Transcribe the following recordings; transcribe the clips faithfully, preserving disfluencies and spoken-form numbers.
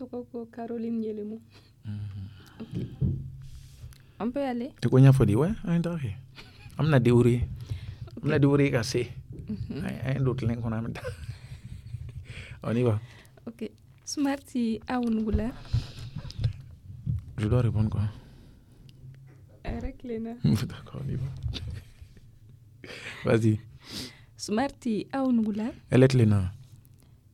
Tɔgɔ ko Caroline Yelemu. Ok. On peut aller? I ko n y'a fɔ di, ouais, an ye taga kɛ, an bɛna débrouiller, an bɛna débrouiller ka se an ye don tile kɔnɔ, an bɛ taa, on y va. Ok. Smarty, aw nugula. Je dois répondre quoi? A yɛrɛ tilenna. D'accord, on y va, vas-y. Smarty, aw nugula. Elle est tilenna.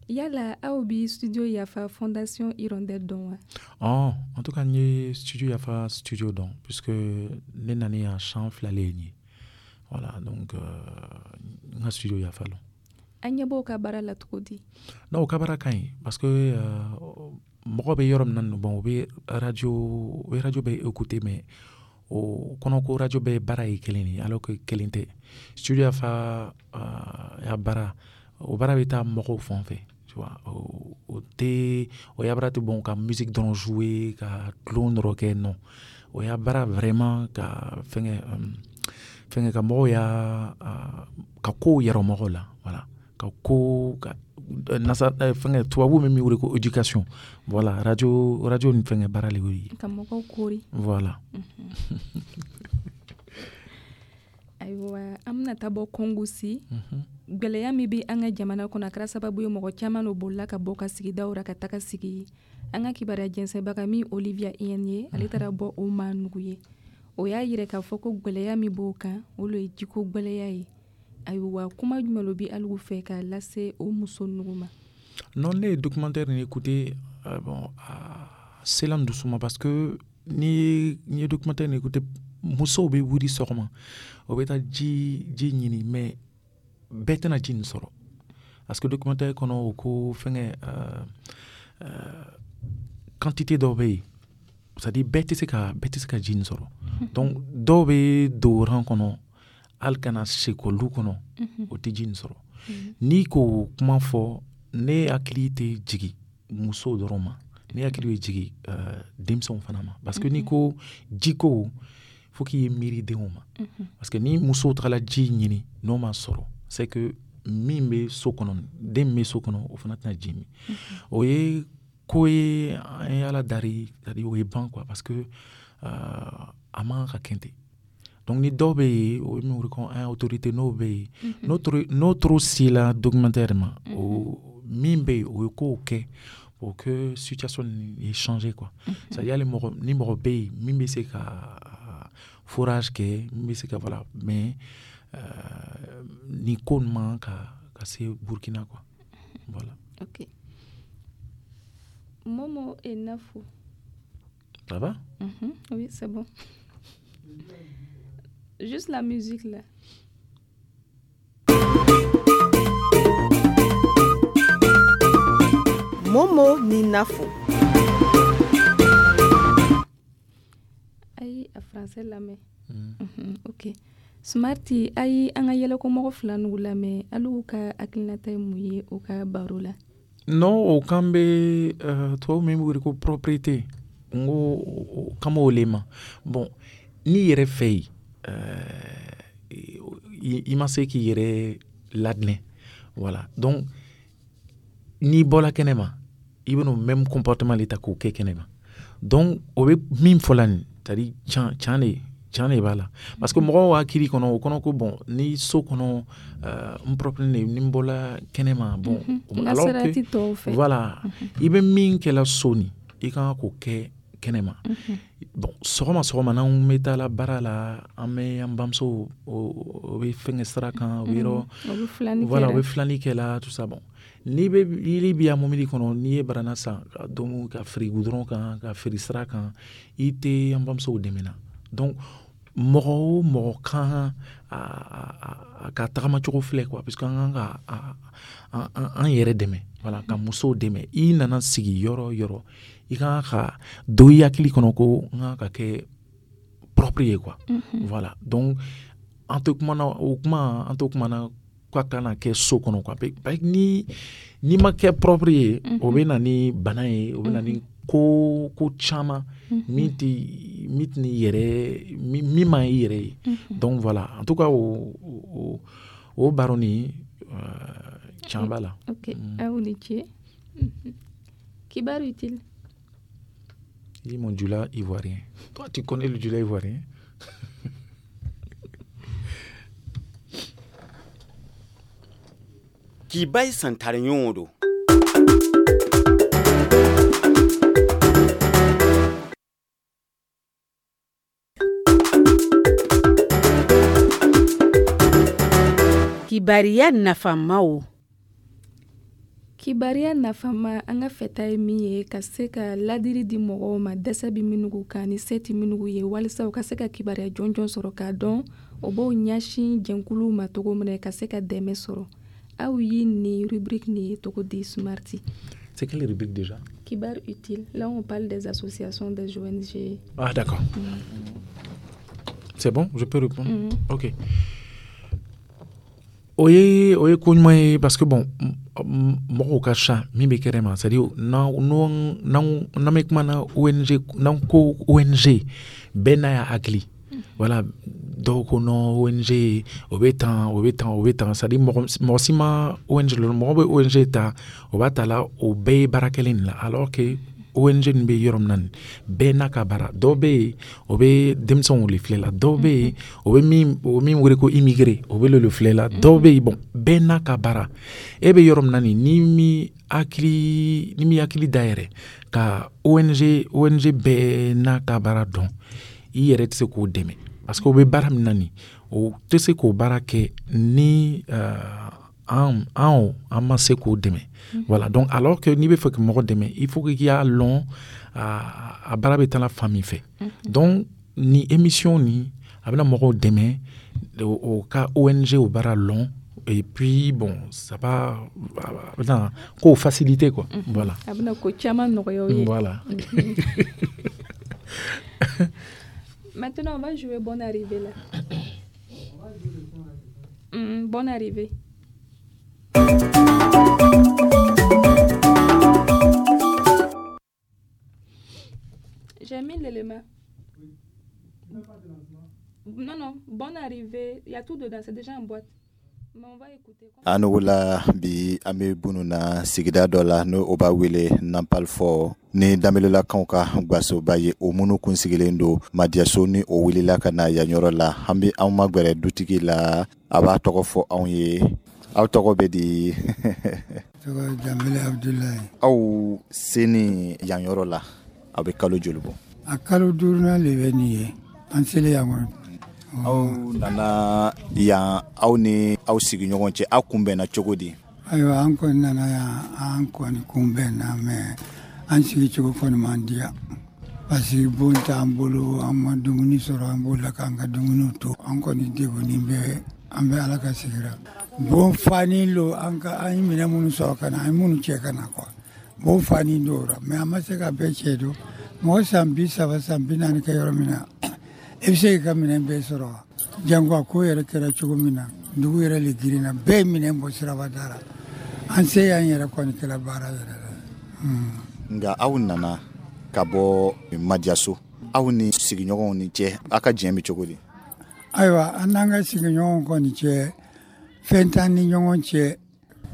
Yala aw bi Studio Yafa Fondation Hirondelle dɔn wa? Oh, en tout cas, n ye Studio Yafa studio dɔn, puisque ne nana yan san fila le ye nin ye. Voilà, donc euh, n ka Studio Yafa lɔn. An ɲɛ b'o ka baara la cogo di? Non, o ka baara ka ɲi, parce que euh, mɔgɔ bɛ yɔrɔ min na, bon, o bɛ radio, o bɛ radio bɛ écouter, mais o kɔnɔ ko radio bɛ baara ye kelen de ye, alors que kelen tɛ. Studio Yafa euh, ya baara, o baara bɛ taa mɔgɔw fan fɛ, tu vois, o, o tɛ, o ya baara tɛ, bon, ka musique dɔrɔn jouer, ka tulon dɔrɔn kɛ, non, o ya baara vraiment ka fɛngɛ um, fɛngɛ ka mɔgɔw ya uh, ka kow yɛrɛ mɔgɔw la, voilà, ka ko ka nasa fɛngɛ, tubabu bɛ min wele ko éducation, voilà, radio radio ni fɛngɛ baara le y'o ye. Ka mɔgɔw kori. Voilà. Ayiwa, an bɛna taa bɔ Kongo si. Gwɛlɛya min bɛ an ka jamana kɔnɔ, a kɛra sababu ye mɔgɔ caman no bolila ka bɔ ka sigidaw ra ka taga sigi. An ka kibaruya jɛnsɛnbaga min Olivia Iyɛn ye, ale taara bɔ o maa nugu ye. O y'a yira k'a fɔ ko gwɛlɛya min b'o kan, o lo ye jiko gwɛlɛya ye. Ayiwa, kuma jumɛn lo bi aligu fɛ k'a lase o muso nugu ma? Non, ne ye documentaire nin écouté, euh, bon, a sela n dusu ma, parce que ni ni ye documentaire nin écouté, musow bɛ wuli sɔgɔma, o bɛ taa ji ji ɲini, mais bɛɛ tɛna ji nin sɔrɔ, parce que documentaire kɔnɔ, o ko fɛngɛ euh, euh, quantité dɔw bɛ yen, c'est à dire bɛɛ tɛ se ka bɛɛ tɛ se ka ji nin sɔrɔ. Donc dɔw bɛ don rang kɔnɔ, hali ka na sekɔli kɔnɔ, o tɛ ji nin sɔrɔ. N'i k'o kuma fɔ, ne hakili tɛ jigin musow dɔrɔn ma, ne hakili bɛ jigin uh, denmisɛnw fana ma, parce que n'i ko jiko, fo k'i ye miiri denw ma, parce que ni musow tagala ji ɲini, n'o ma sɔrɔ, c'est que min bɛ so kɔnɔ, den min bɛ so kɔnɔ, o fana tɛna ji min. O ye ko ye, an ye Ala dari, c'est à dire o ye ban quoi, parce que uh, a man ka kɛ ten. Donc ni dɔw bɛ yen, o ye min wele ko an autorité, n'o bɛ yen, n'o trop sela documentaire ma, o min bɛ yen, o ye kow kɛ pour que situation ye changer quoi. C'est à dire hali mɔgɔ ni mɔgɔ bɛ yen min bɛ se ka forage kɛ, min bɛ se ka, voilà, mais euh, ni ko nin man ka ka se Burkina quoi, voilà. Ok. Momo et Nafou. Ça va? mm -hmm. Oui, c'est bon. Juste la musique là. Momo ni Nafou. Ayi, a français lamɛn. Mm. Mm -hmm. Ok. Smarty, ayi, an ka yɛlɛko mɔgɔ fila nugu lamɛn, alu ka hakilinata ye mun ye o ka baro la? Non, o kan bɛ uh, tubabu min bɛ wele ko propriété, n ko o kan b'o le ma. Bon, n'i yɛrɛ fɛ yen, uh, i ma se k'i yɛrɛ ladinɛ, voilà, donc n'i bɔla kɛnɛ ma, i bɛn'o même comportement le ta k'o kɛ kɛnɛ ma. Donc o bɛ min fɔ la nin, c'est à dire can can de can de b'a la, parce que mɔgɔw hakili kɔnɔ, o kɔnɔ ko bon, ni so kɔnɔ uh, n propre ne, ni n bɔla kɛnɛ ma, bon, mm -hmm. alors que voilà, mm -hmm. i bɛ min kɛla so nin, i kan k'o kɛ kɛnɛ ma. Mm -hmm. Bon, sɔgɔma sɔgɔma, n'anw bɛ taa la baara la, an bɛ an bamuso, o bɛ fɛnkɛ sira kan, o bɛ yɔrɔ, voilà, o bɛ filani kɛ la, tout ça. Bon, n'i bɛ yiri bi yan mobili kɔnɔ, n'i ye barana san ka domu ka feere goudron kan, ka feere sira kan, i tɛ an bamusow dɛmɛ na. Donc mɔgɔ o mɔgɔ kan a, a, ka tagamacogo filɛ quoi, parce que an kan ka an yɛrɛ dɛmɛ, voilà, ka musow dɛmɛ. I nana sigi yɔrɔ o yɔrɔ, i kan ka don i hakili kɔnɔ ko n kan ka kɛ propre ye quoi. Mm -hmm. Voilà, donc an tɛ kuma na, o kuma an tɛ kuma na k'a kana kɛ so kɔnɔ quoi. Ni n'i ma kɛ propre ye, o bɛ na ni bana ye, o bɛ na ni ko ko caman min tɛ min tɛ ni yɛrɛ min man i yɛrɛ ye. Donc voilà, en tout cas, o o o baro nin can b'a la. Ok, aw ni ce. Kibaru utile. Il dit, mon djula ivoirien. Toi, tu connais le djula ivoirien? K'i santare yõodo. Kibariya nafamaw. Kibariya nafama, an ka fɛta ye min ye ka se ka ladiri di mɔgɔw ma dɛsɛ bɛ minnu kan ni se tɛ minnu ye, walisa u ka se ka kibaruya jɔnjɔn sɔrɔ k'a dɔn o b'o ɲɛsin jɛnkuluw ma cogo min na ka se ka dɛmɛ sɔrɔ. Aw ye nin rubrique nin ye cogo di, Smarty? C'est quelle rubrique déjà? Kibar utile. Là, on parle des associations, des O N G. Ah, d'accord. Mm. C'est bon, je peux répondre? mm -hmm. Ok. O ye o ye ko ɲuman ye parce que bon, mɔgɔw ka ca min bɛ kɛnɛ ma, c'est à dire n'an n'an bɛ kuma na O N G, n'an ko O N G, bɛɛ n'a y'a hakili. Voilà, dɔw ko non, O N G o bɛ tan, o bɛ tan, o bɛ tan, c'est à dire mɔgɔ mɔgɔ si ma O N G lɔn. Mɔgɔ bɛ O N G ta, o b'a ta la, o bɛɛ ye baara kelen de la, alors que O N G nin bɛ yɔrɔ min na nin, bɛɛ n'a ka baara. Dɔw bɛ yen, o bɛ denmisɛnw de filɛ la, dɔw bɛ yen, o bɛ min o min wele ko immigré, o bɛ le filɛ la, dɔw bɛ yen. Bon, bɛɛ n'a ka baara. E bɛ yɔrɔ min na nin, ni mi hakili ni mi hakili dayɛlɛ ka O N G O N G bɛɛ n'a ka baara dɔn, i yɛrɛ tɛ se k'o dɛmɛ, parce que o bɛ baara min na nin, o tɛ se k'o baara kɛ ni uh, an an an ma se k'o dɛmɛ. Voilà, donc alors que n'i bɛ fɛ ka mɔgɔ dɛmɛ, il faut que k'i y'a lɔn a a baara bɛ taa fan min fɛ. Donc ni émission nin, a bɛna mɔgɔw dɛmɛ o ka O N G o baara lɔn, et puis bon, ça va, a bɛna kow faciliter quoi. Voilà. A bɛna ko caman nɔgɔya o ye. Voilà. Maintenant, on va jouer Bonne arrivée là. Mmh, bonne arrivée. J'ai mis l'élément. Non, non, bonne arrivée. Il y a tout dedans, c'est déjà en boîte. Mais on va écouter. An wula bi, an bɛ bunu na sigida dɔ la, n'o o b'a wele Nampal fɔ ni Danbelelakaw ka gasoba ye, o minnu kun sigilen don Madiyaso ni o wulila ka na yan yɔrɔ la. An bɛ anw magɛrɛ dutigi la, a b'a tɔgɔ fɔ anw ye. Aw tɔgɔ bɛ di? Tɔgɔ Danbele Abudulayi. Aw seni yan yɔrɔ la, aw bɛ kalo joli bɔ? A kalo duurunan le bɛ nin ye an selen yan kɔnɔ. Aw nana yan, aw ni aw sigiɲɔgɔn cɛ, aw kunbɛnna cogo di? Ayiwa, an kɔni nana yan, an kɔni kunbɛnna, mɛ an sigicogo kɔni man diya, parce que bon t'an bolo, an ma dumuni sɔrɔ, an b'o k'an ka dumuniw to. An kɔni degunnen bɛ, an bɛ Ala ka sigira. Bon fani lo, an ka an ye minɛn minnu sɔrɔ ka na, an ye minnu cɛ ka na quoi, bon fani dɔw la, mɛ an ma se ka bɛɛ cɛ don. Mɔgɔ san bi saba, san bi naani kɛ yɔrɔ min na, e bɛ se k'i ka minɛn bɛɛ sɔrɔ wa? Jango a ko yɛrɛ kɛra cogo min na, dugu yɛrɛ le girinna, bɛɛ ye minɛn bɔ siraba da la. An se y'an yɛrɛ kɔni kɛra baara yɛrɛ la. Nka aw nana ka bɔ Madiyaso, aw ni sigiɲɔgɔnw ni cɛ, aw ka diɲɛ bɛ cogo di? Ayiwa, an n'an ka sigiɲɔgɔnw kɔni cɛ, fɛn t'an ni ɲɔgɔn cɛ.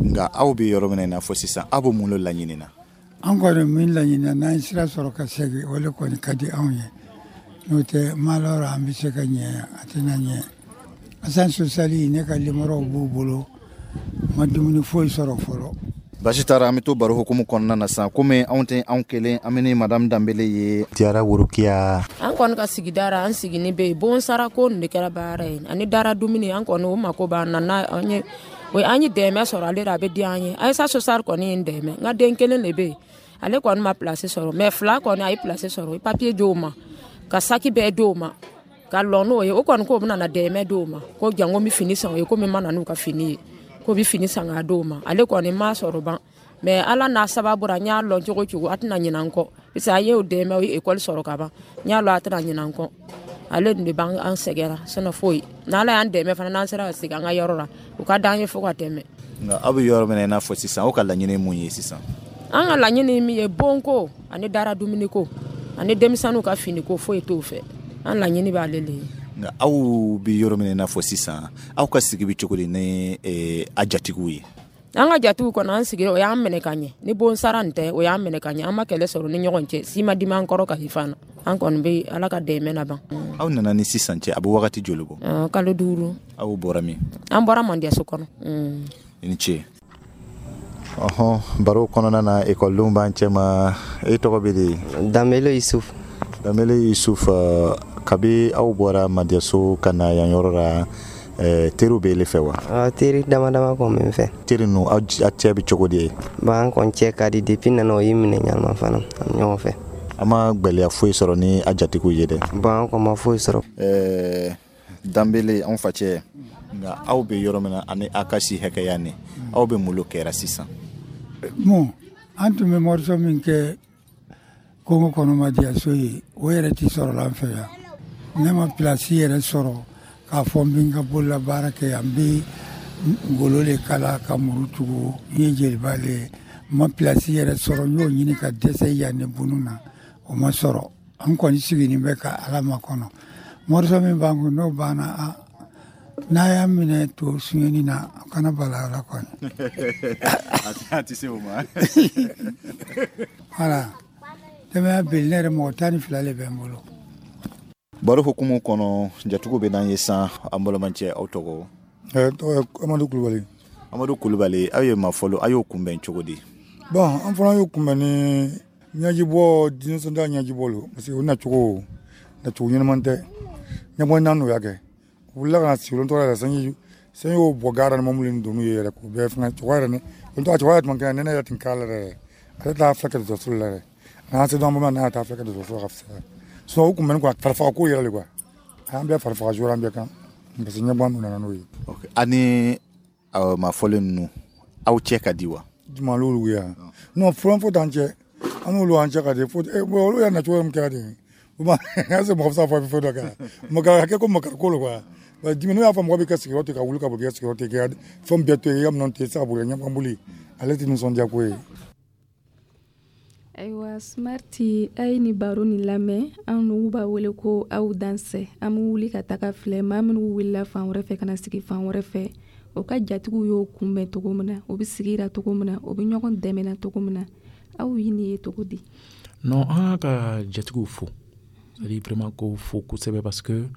Nka aw bɛ yɔrɔ min na i n'a fɔ sisan, aw bɛ mun de laɲini na? An kɔni min laɲini na, n'an ye sira sɔrɔ ka segin, o de kɔni ka di anw ye. N'o tɛ, malɔrɔ an bɛ se ka ɲɛ, a tɛna ɲɛ. Assistance sociale, ne ka limɔrɔw b'u bolo, ma dumuni foyi sɔrɔ fɔlɔ. Basi taara, an bɛ to baro hukumu kɔnɔna na sisan. Komi anw tɛ anw kelen, an bɛ ni madame Danbele ye Diyara Worokiya. An kɔni ka sigida ra, an sigini bɛ yen, bon sara ko nin de kɛra baara ye, ani dara dumuni. An kɔni o mako b'an na, n'a an ye o an ye dɛmɛ sɔrɔ ale la, a bɛ diya an ye. Ayisa social kɔni ye n dɛmɛ. N ka den kelen de bɛ yen, ale kɔni ma place sɔrɔ, mɛ fila kɔni a ye place sɔrɔ. O ye papiye d'o ma, ka saki bɛɛ d'o ma, ka lɔ n'o ye. O kɔni k'o bɛna na dɛmɛ d'o ma, ko janko n bɛ fini san o ye, komi n ma na n'u ka fini ye, ko bɛ fini san k'a d'o ma. Ale kɔni ma sɔrɔ ban, mɛ Ala n'a sababu ra, n y'a lɔn cogo cogo, a tɛna ɲinɛ n kɔ, parce que a ye o dɛmɛ, o ye ekɔli sɔrɔ ka ban. N y'a lɔn a tɛna ɲinɛ n kɔ. Ale de b'an an sɛgɛra sinon foyi. N'Ala y'an dɛmɛ fana, n'an sera ka segin an ka yɔrɔ la, o ka d'an ye fo ka tɛmɛ. Nka aw bɛ yɔrɔ min na i n'a fɔ sisan, aw ka laɲini ye mun ye sisan? An ka laɲini min ye, bonko ani dara dumuniko ani denmisɛnninw ka finiko, foyi t'o fɛ. An laɲini b'ale le ye. Nka aw bɛ yɔrɔ min na i n'a fɔ sisan, aw ka sigi bɛ cogo di ni eh, a jatigiw ye? An ka jatigiw kɔnɔ an sigira, o y'an minɛ ka ɲɛ. Ni bon sara nin tɛ, o y'an minɛ ka ɲɛ. An ma kɛlɛ sɔrɔ ni ɲɔgɔn cɛ, si ma dimi an kɔrɔ ka fana. An kɔni bɛ Ala ka dɛmɛ laban. Aw nana ni sisan cɛ, a bɛ wagati joli bɔ? Kalo duuru. Aw bɔra min? An bɔra Mandiyaso kɔnɔ. I ni ce. Ɔhɔn, baro kɔnɔna na, ekɔlidenw b'an cɛ ma. E tɔgɔ bɛ di? Danbele Yusuf. Danbele Yusuf, kabi aw bɔra Mandiyaso ka na yan yɔrɔ la, teriw bɛ ele fɛ wa? Teri dama dama kɔni bɛ n fɛ. Teri ninnu, aw cɛ bɛ cogo di ye? Bon, an kɔni cɛ ka di. Depuis nana, o y'i minɛ ɲanama fana, an bɛ ɲɔgɔn fɛ. An ma gwɛlɛya foyi sɔrɔ ni a jatigiw ye dɛ? Bon, an kɔni ma foyi sɔrɔ. Ɛɛ, Danbele, anw facɛ, nka aw bɛ yɔrɔ min na ani aw ka si hakɛya nin, aw bɛ mun kɛra sisan? Bon, an tun bɛ morceau min kɛ Kongo kɔnɔ, Madiyaso ye, o yɛrɛ tɛ sɔrɔ an fɛ yan. Ne ma place yɛrɛ sɔrɔ k'a fɔ n bɛ n ka bolola baara kɛ yan. N bɛ ngolo de kala ka muru tugu. N ye jeliba de ye. N ma place yɛrɛ sɔrɔ. N y'o ɲini ka dɛsɛ yan ni bunu na, o ma sɔrɔ. An kɔni sigilen bɛ ka Ala makɔnɔ. Morceau min b'an kun, n'o banna, a n'a y'a minɛ to suɲɛni na, a kana bala ala kɔni. A tɛ se o ma. Voilà, denbaya beli, ne yɛrɛ mɔgɔ tan ni fila de bɛ n bolo. Baro hukumu kɔnɔ, jatigiw bɛ n'an ye san. An balimacɛ, aw tɔgɔ? Tɔgɔ Amadu Kulubali. Amadu Kulubali, aw ye ma fɔlɔ, aw y'o kunbɛn cogo di? Bon, an fana y'o kunbɛn ni ɲɛjibɔ, nisɔndiya ɲɛjibɔ lo, parce que o nacogo nacogo ɲɛnama tɛ. Ɲɛbɔ naani o y'a kɛ, u wulila ka na sigi tɔgɔ yɛrɛ, sanji sanji y'o bɔ gara ni mɔbili ni donu ye yɛrɛ k'o bɛɛ fɛngɛ. Cɛkɔrɔba yɛrɛ, ni o tɔgɔ cɛkɔrɔba yɛrɛ tun kɛnɛ, nɛnɛ yɛrɛ tun k'a la yɛrɛ. Ale t'a filɛ kɛ dɔgɔtɔrɔso la yɛrɛ, n'an se dɔn bamanan n'a t'a filɛ kɛ dɔgɔtɔrɔso la ka fisaya. Sinon o kunbɛnni quoi, farifaga ko yɛrɛ de quoi, an bɛɛ farifaga joona an bɛɛ kan, parce que ɲɛbɔ nana n'o ye. Ani maa fɔlen ninnu, aw cɛ ka di wa? Juma l'olu ye yan? Non, fɔlɔ fo t'an cɛ, an n'olu an cɛ ka di. Fo olu y'a nacogo min kɛra ten, est ce que mɔgɔ bɛ se k'a fɔ fɛn dɔ kɛra makari kɛ ko makari ko lo quoi. Dimi n'o y'a fɔ mɔgɔ bɛ ka sigiyɔrɔ tigɛ ka wuli ka bɔ k'i ka sigiyɔrɔ tigɛ, k'i ka fɛn bɛɛ to yen, i ka minɛnw to yen, i tɛ se ka boli ɲɛfɔ boli, ale tɛ nisɔndiya ko ye. Ayiwa, Smarti, a ye ni baro nin lamɛn. An n'u b'a wele ko aw dansɛ. An bɛ wuli ka taga filɛ maa minnu wulila fan wɛrɛ fɛ ka na sigi fan wɛrɛ fɛ, o ka jatigiw y'o kunbɛn cogo min na, o bɛ sigira cogo min na, o bɛ ɲɔgɔn dɛmɛna cogo min na. Aw ye nin ye cogo di? Non, an ka jatigiw fo, c'est à dire vraiment k'o fo kosɛbɛ, parce que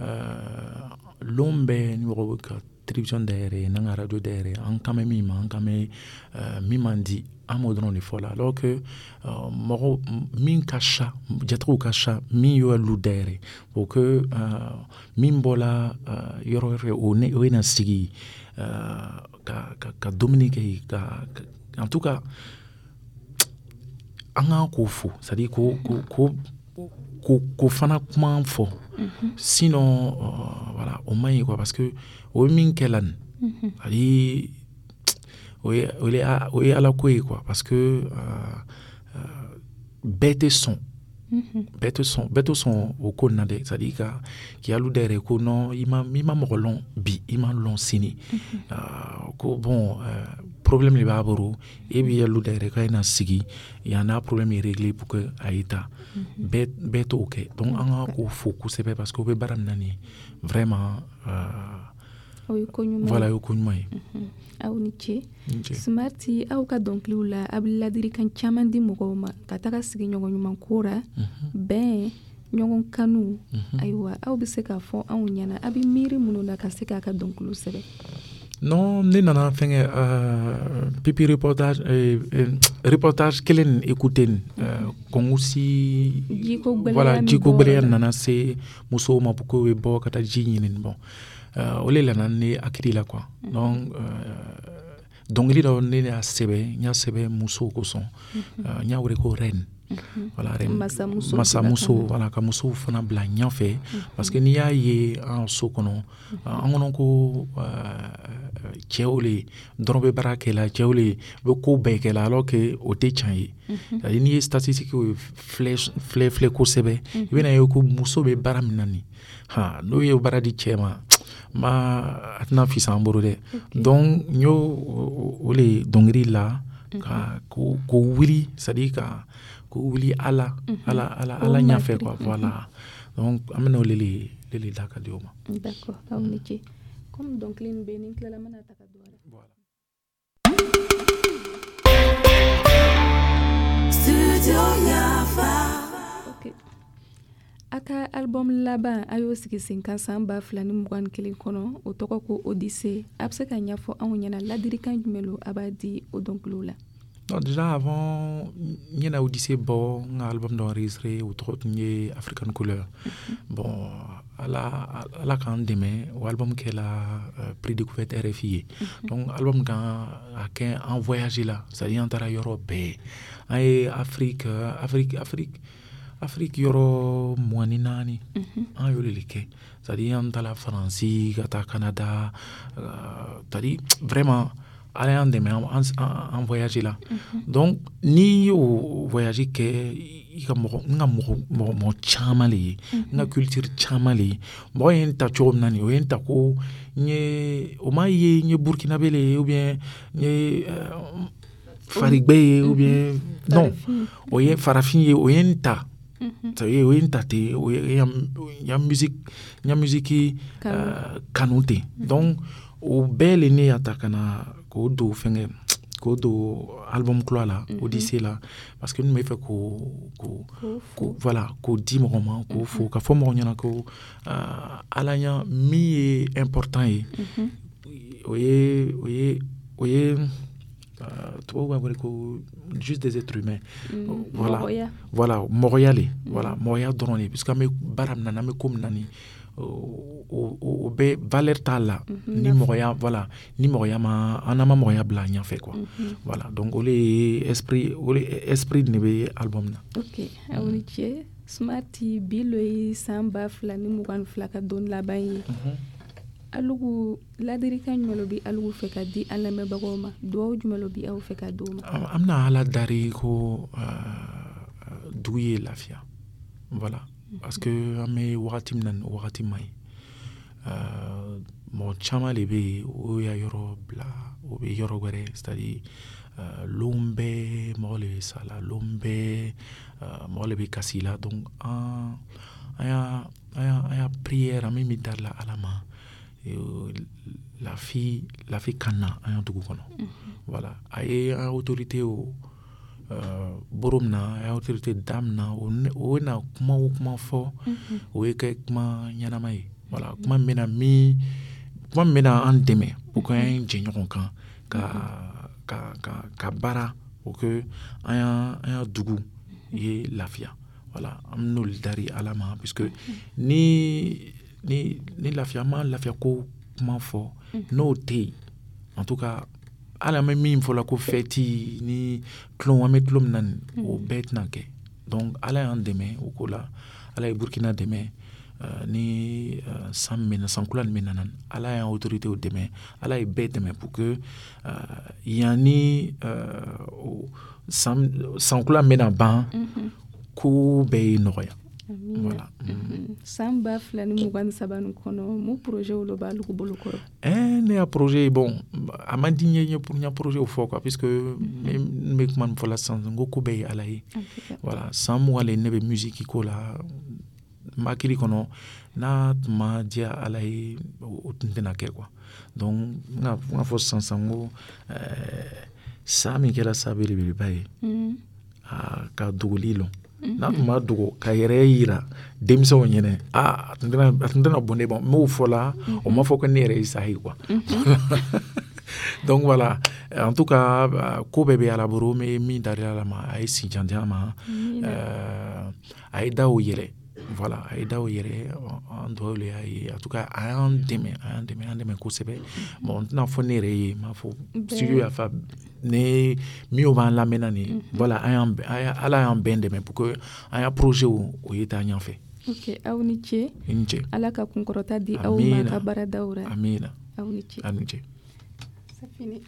euh, lon bɛɛ ni mɔgɔ bɛ ka télévision dayɛlɛ, n'an ka radio dayɛlɛ, an kan bɛ min ma, an kan bɛ euh, min man di, an b'o dɔrɔn de fɔ la, alors que euh, mɔgɔ min ka ca, jatigiw ka ca min y'o lu dayɛlɛ pour que euh, min bɔla euh, yɔrɔ wɛrɛ, o ne o ye na sigi euh, ka ka ka dumuni kɛ yen, ka, ka en tout cas an k'an k'o fo, c'est à dire ko ko ko ko ko fana kuma fɔ. Sinon euh, voilà, o man ɲi quoi, parce que o ye min kɛ la nin, c'est à dire o ye o ye o ye Ala ko ye quoi, parce que euh, euh, bɛɛ tɛ sɔn, bɛɛ tɛ sɔn, bɛɛ tɛ sɔn o ko nin na dɛ. C'est à dire ka k'i alu dayɛlɛ ko non, i ma i ma mɔgɔ lɔn bi, i ma lɔn sini, euh, ko bon, euh, problème de b'a bolo, e b'i alu dayɛlɛ k'a ye na sigi yan, n'a problème est réglé pour que a ye taa. Bɛɛ bɛɛ t'o kɛ. Donc an ka k'o fo kosɛbɛ, parce que o bɛ baara min na nin ye, vraiment euh, o ye ko ɲuman ye. Voilà, o ye ko ɲuman ye. Aw ni ce. Ni ce. Smarti, aw ka dɔnkiliw la, a bɛ ladilikan caman di mɔgɔw ma ka taga sigi ɲɔgɔn ɲuman ko ra, bɛn, ɲɔgɔn kanu. Ayiwa, aw bɛ se k'a fɔ anw ɲɛna, a bɛ miiri minnu na ka se k'a ka dɔnkiliw sɛbɛn? Non, ne nana fɛnkɛ euh, pipi reportage, euh, euh, reportage kelen nin écouter nin, euh, Kongoussi. Jiko gwɛlɛya. Voilà. Min Jiko bɔra gwɛlɛya la. Nana se musow ma pour que u bɛ bɔ ka taa ji ɲini. Bon, euh, o le nana ne hakili la quoi. Donc euh, dɔnkili dɔ ne y'a sɛbɛn, n y'a sɛbɛn musow kosɔn, euh, n y'a wele ko reine. Voilà, reine. Masamuso. Masamuso, voilà, ka musow fana bila ɲɛfɛ, parce que n'i y'a ye an so kɔnɔ, an kɔnɔ ko euh, cɛw le dɔrɔn bɛ baara kɛ la, cɛw le bɛ ko bɛɛ kɛ la, alors que o tɛ tiɲɛ ye. C'est à dire n'i ye statistique filɛ filɛ filɛ kosɛbɛ, i bɛna ye ko muso bɛ baara min na nin, ha, n'o ye baara di cɛ ma ma, a tɛna fisa an bolo dɛ. Donc n y'o o o le dɔnkili la ka ko ko wuli, c'est à dire ka ko wuli ala ala ala ala ɲɛfɛ quoi. Voilà, donc an bɛna o le le le le da ka di o ma. D'accord, aw ni ce. Comme dɔnkili nin bɛ yen, ni n tilala n bɛna ta ka don a la. A ka album laban, a y'o sigi sen kan san ba fila ni mugan ni kelen kɔnɔ, o tɔgɔ ko Odyssée. A bɛ se ka ɲɛfɔ anw ɲɛna, ladirikan jumɛn lo a b'a di o dɔnkiliw la? Non, déjà avant n ɲɛna Odyssée bɔ, n ka album dɔ enregistré, o tɔgɔ tun ye African Couleur. mm -hmm. Bon, ala ala k'an dɛmɛ, o album kɛla uh, prix découverte R F I ye. mm -hmm. Donc album kan a kɛ an voyage la, c'est à dire an taara yɔrɔ bɛɛ, an ye Afrique Afrique Afrique Afrique yɔrɔ mugan ni naani, an y'o de kɛ. C'est à dire an taara Faransi, ka taa Canada, uh, c'est à dire vraiment Ala y'an dɛmɛ, an, an voyage la. Donc n'i y'o voyage kɛ, i ka mɔgɔ, n ka mɔgɔ mɔgɔ mɔgɔ caman le ye, n ka culture caman le ye. Mɔgɔ ye n ta cogo min na nin, o ye n ta ko n ye, o m'a ye n ye Burkinabé le ye ou bien n ye farigbɛ ye ou bien non, o ye farafin ye, o ye n ta, c'est à dire o ye n ta ten, o ye n ya musique n ya musique kanu ten. Donc o bɛɛ le ne y'a ta ka na k'o don fɛngɛ, k'o don album kura la, Odyssée la, parce que n bɛ fɛ k'o k'o k'o voilà, k'o di mɔgɔ ma, k'o fo, ka fɔ mɔgɔ ɲɛna ko Ala ɲa min ye important ye, o ye o ye o ye tubabu b'a wele ko juste des êtres humains. Voilà, voilà, mɔgɔya le, voilà, mɔgɔya dɔrɔn de, puisque an bɛ baara min na, n'an bɛ ko min na nin, o o bɛ valeur t'a la ni mɔgɔya, voilà, ni mɔgɔya ma, an n'an ma mɔgɔya bila ɲɛfɛ quoi. Voilà, donc o le ye esprit, o le esprit de bɛ album na. Ok, aw ni ce. Smarty, bi lo ye san ba fila ni mugan ni fila ka don laban ye. Alugu ladirikan jumɛn lo bi alugu fɛ ka di an lamɛnbagaw ma? Duwawu jumɛn lo bi aw fɛ ka di u ma? An bɛna Ala dari ko dugu ye lafiya, voilà, parce que an bɛ wagati min na nin, wagati man ɲi. Mɔgɔ caman de bɛ yen, o y'a yɔrɔ bila, o bɛ yɔrɔ wɛrɛ, c'est à dire lon bɛɛ mɔgɔ le bɛ sa la, lon bɛɛ mɔgɔ le bɛ kasi la. Donc an an y'a an y'a an y'a prière, an bɛ min dari la Ala ma, lafi lafi ka na an ya dugu kɔnɔ. Voilà, a ye an autorité o boro min na, a ye autorité da min na, o na kuma o kuma fɔ, o ye kɛ kuma ɲɛnama ye. Voilà, kuma min bɛna min kuma min bɛna an dɛmɛ pour que an jɛ ɲɔgɔn kan ka ka ka ka baara pour que an ya an ya dugu ye lafiya. Voilà, an n'olu dari Ala ma, puisque ni ni ni lafiya ma, lafiya ko kuma fɔ n'o tɛ yen, en tout cas hali an bɛ min fɔ la ko fɛti ni tulon, an bɛ tulon min na nin, o bɛɛ tɛna kɛ. Donc Ala y'an dɛmɛ o ko la, Ala ye Burukina dɛmɛ ni san min na, san kura min nana, Ala y'an autorités dɛmɛ, Ala ye bɛɛ dɛmɛ pour que yanni san san kura min bɛna ban, ko bɛɛ ye nɔgɔya. Voilà. San ba fila ni mugan ni saba nin kɔnɔ, mun projet lo b'alu bolo kɔrɔ? Eh, ne ya projet, bon, a man di n ye n ya projet fɔ quoi, puisque n bɛ kuma min fɔ la sisan, n ko ko bɛɛ ye Ala ye. Voilà, san mugan le ne bɛ musique ko la, n hakili kɔnɔ, n'a tun ma diya Ala ye, o tun tɛna kɛ quoi. Donc n ka fɔ sisan sisan ko san min kɛra sa belebeleba ye, a ka dogoli lɔn, n'a tun ma dogo ka yɛrɛ yira denmisɛnw ɲɛnɛ, a tun tɛna a tun tɛna bɔn ne ma. N m'o fɔ la, o ma fɔ ko ne yɛrɛ ye sa ye quoi. Donc voilà, en tout cas ko bɛɛ bɛ Ala bolo. N bɛ min dari Ala ma, a ye si jan di an ma, a ye daw yɛlɛ, voilà, a ye daw yɛlɛ, an dugawu le y'a ye. En tout cas a y'an dɛmɛ, a y'an dɛmɛ, an dɛmɛ kosɛbɛ. Bon, n tɛna fɔ ne yɛrɛ ye, n m'a fɔ studio y'a fa ne minnu b'an lamɛnna nin. Voilà, an y'an Ala y'an bɛɛ dɛmɛ pour que an ya projet o ye taa ɲɛfɛ. Ok, aw ni ce. I ni ce. Ala ka kunkɔrɔta di aw ma ka baaradaw la. Amina. Aw ni ce. Aw ni ce. C'est fini.